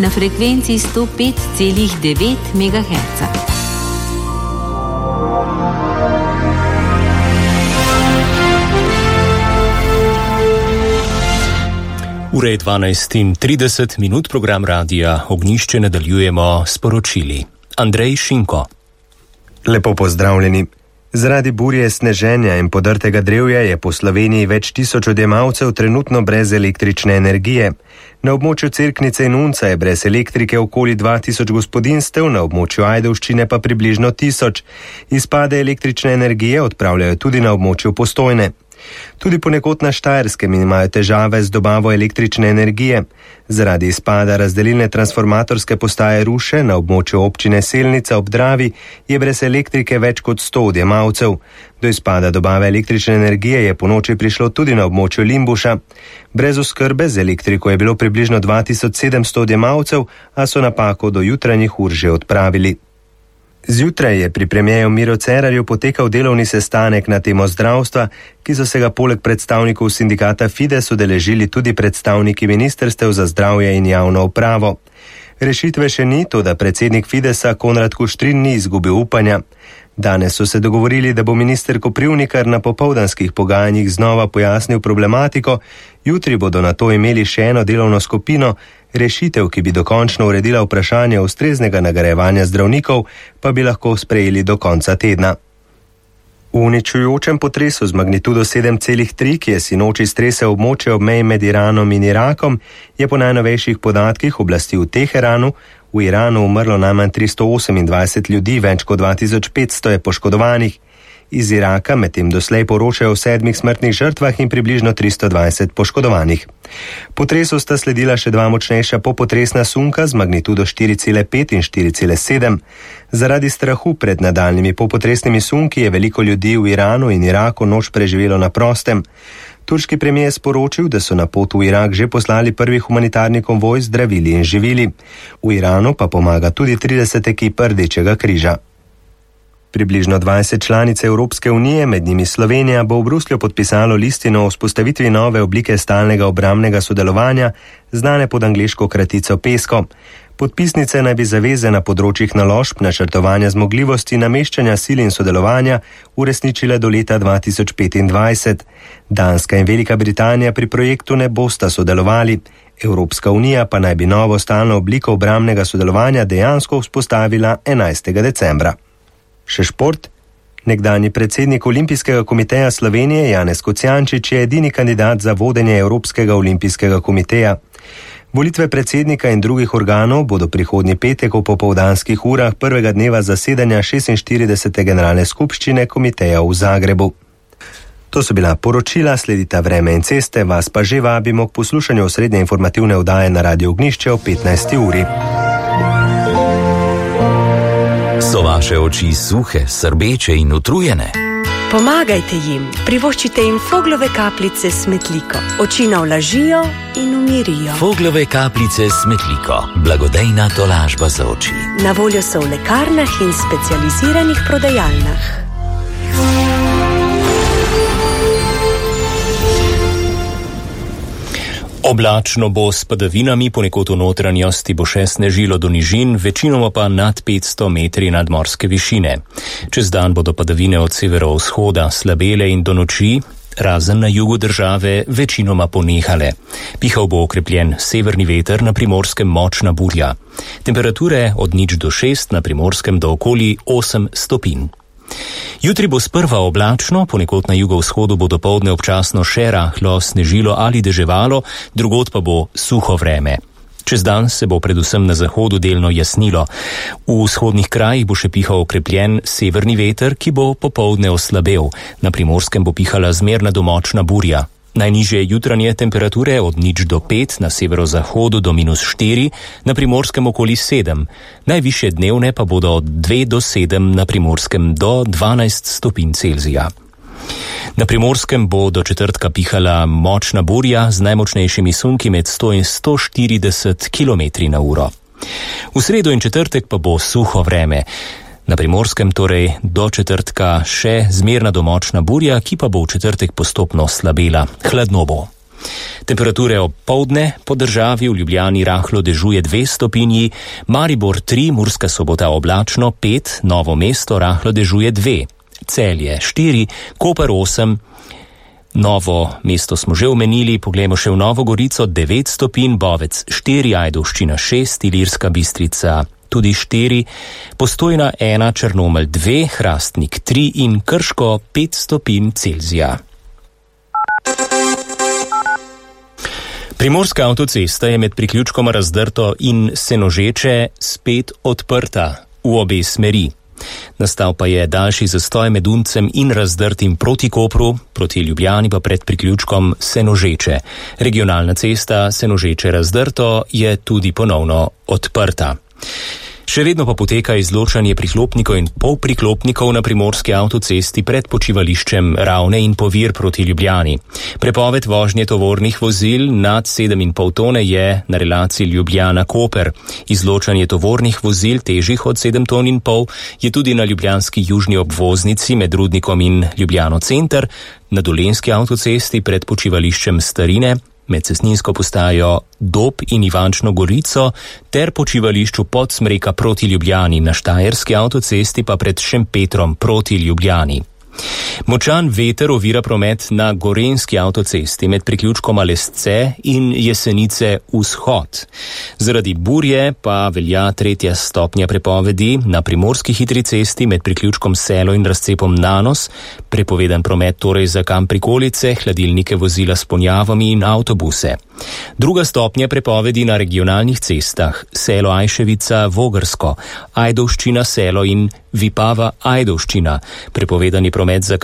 na frekvenci 105,9 MHz. Ura je 12:30, program Radia Ognjišče nadaljujemo s poročili. Andrej Šinko. Lepo pozdravljeni. Zaradi burje, sneženja in podrtega drevja je po Sloveniji več tisoč odjemalcev trenutno brez električne energije. Na območju Cerknice in Unca je brez elektrike okoli 2000 gospodinstev, na območju Ajdovščine pa približno 1000. Izpade električne energije odpravljajo tudi na območju Postojne. Tudi ponekod na Štajerskem imajo težave z dobavo električne energije. Zaradi izpada razdelilne transformatorske postaje Ruše na območju občine Selnica ob Dravi je brez elektrike več kot 100 odjemalcev. Do izpada dobave električne energije je ponoči prišlo tudi na območju Limbuša. Brez oskrbe z elektriko je bilo približno 2700 odjemalcev, a so napako do jutranjih ur že odpravili. Zjutraj je pri premierju Miro Cerarju potekal delovni sestanek na temo zdravstva, ki so se ga poleg predstavnikov sindikata Fides udeležili tudi predstavniki ministrstev za zdravje in javno upravo. Rešitve še ni, toda predsednik Fidesa Konrad Kuštrin ni izgubil upanja. Danes so se dogovorili, da bo minister Koprivnikar na popoldanskih pogajanjih znova pojasnil problematiko, jutri bodo na to imeli še eno delovno skupino. Rešitev, ki bi dokončno uredila vprašanje ustreznega nagrajevanja zdravnikov, pa bi lahko sprejeli do konca tedna. V uničujočem potresu z magnitudo 7,3, ki je sinoči stresel območje ob meji med Iranom in Irakom, je po najnovejših podatkih oblasti v Teheranu v Iranu umrlo najmanj 328 ljudi, več kot 2500 je poškodovanih. Iz Iraka medtem doslej poročajo o 7 smrtnih žrtvah in približno 320 poškodovanih. Potresu sta sledila še 2 močnejša popotresna sunka z magnitudo 4,5 in 4,7. Zaradi strahu pred nadaljnimi popotresnimi sunki je veliko ljudi v Iranu in Iraku noč preživelo na prostem. Turški premijer je sporočil, da so na pot v Irak že poslali prvi humanitarni konvoj z zdravili in živili. V Iranu pa pomaga tudi 30 ekip Rdečega križa. Približno 20 članic Evropske unije, med njimi Slovenija, bo v Bruslju podpisalo listino o vzpostavitvi nove oblike stalnega obrambnega sodelovanja, znane pod angleško kratico PESCO. Podpisnice naj bi zaveze na področjih naložb, načrtovanja zmogljivosti, nameščanja sil in sodelovanja uresničile do leta 2025. Danska in Velika Britanija pri projektu ne bosta sodelovali. Evropska unija pa naj bi novo stalno obliko obrambnega sodelovanja dejansko vzpostavila 11. decembra. Še šport. Nekdanji predsednik Olimpijskega komiteja Slovenije Janez Kocijančič je edini kandidat za vodenje Evropskega olimpijskega komiteja. Volitve predsednika in drugih organov bodo prihodnji petek v popoldanskih urah prvega dneva zasedanja 46. generalne skupščine komiteja v Zagrebu. To so bila poročila, sledita vreme in ceste, vas pa že vabimo k poslušanju osrednje informativne oddaje na Radio Ognjišče o 15. uri. So vaše oči suhe, srbeče in utrujene? Pomagajte jim, privoščite jim Foglove kapljice s Metliko. Oči navlažijo in umirijo. Foglove kapljice s Metliko, blagodejna tolažba za oči. Na voljo so v lekarnah in specializiranih prodajalnah. Oblačno bo s padavinami, ponekod v notranjosti bo še snežilo do nižin, večinoma pa nad 500 metri nadmorske višine. Čez dan bodo padavine od severovzhoda slabele in do noči, razen na jugu države, večinoma ponehale. Pihal bo okrepljen severni veter, na Primorskem močna burja. Temperature od 0 do 6, na Primorskem do okoli 8 stopinj. Jutri bo sprva oblačno, ponekod na jugovzhodu bo dopoldne občasno še rahlo snežilo ali deževalo, drugod pa bo suho vreme. Čez dan se bo predvsem na zahodu delno jasnilo. V vzhodnih krajih bo še pihal okrepljen severni veter, ki bo popoldne oslabel. Na Primorskem bo pihala zmerna do močna burja. Najnižje jutranje temperature od 0 do 5, na severozahodu do -4, na Primorskem okoli 7. Najvišje dnevne pa bodo od 2 do 7, na Primorskem do 12 stopinj Celzija. Na Primorskem bo do četrtka pihala močna burja z najmočnejšimi sunki med 100 in 140 km/h. V sredo in četrtek pa bo suho vreme. Na Primorskem torej do četrtka še zmerna do močna burja, ki pa bo v četrtek postopno slabela. Hladno bo. Temperature ob poldne po državi, v Ljubljani rahlo dežuje 2 stopinji, Maribor 3, Murska Sobota oblačno 5, Novo mesto rahlo dežuje 2, Celje 4, Koper 8, Novo mesto smo že omenili, poglejmo še v Novo Gorico 9 stopinj, Bovec 4, Ajdovščina 6, Ilirska Bistrica tudi 4, Postojna 1, Črnomelj 2, Hrastnik 3 in Krško 5 stopinj Celzija. Primorska avtocesta je med priključkoma Razdrto in Senožeče spet odprta v obe smeri. Nastal pa je daljši zastoj med Uncem in Razdrtim proti Kopru, proti Ljubljani pa pred priključkom Senožeče. Regionalna cesta Senožeče-Razdrto je tudi ponovno odprta. Še vedno pa poteka izločanje priklopnikov in polpriklopnikov na primorski avtocesti pred počivališčem Ravne in Povir proti Ljubljani. Prepoved vožnje tovornih vozil nad 7,5 tone je na relaciji Ljubljana-Koper. Izločanje tovornih vozil težjih od 7,5 ton je tudi na ljubljanski južni obvoznici med Rudnikom in Ljubljano center, na dolenjski avtocesti pred počivališčem Starine, med cestninsko postajo Dob in Ivančno Gorico ter počivališču Podsmreka proti Ljubljani, na štajerski avtocesti pa pred Šempetrom proti Ljubljani. Močan veter ovira promet na gorenjski avtocesti med priključkoma Lesce in Jesenice vzhod. Zaradi burje pa velja 3. stopnja prepovedi na primorski hitri cesti med priključkom Selo in razcepom Nanos, prepovedan promet torej za kam prikolice, hladilnike, vozila s ponjavami in avtobuse. 2. stopnja prepovedi na regionalnih cestah Selo Ajševica Vogrsko, Ajdovščina Selo in Vipava Ajdovščina, prepovedani promet za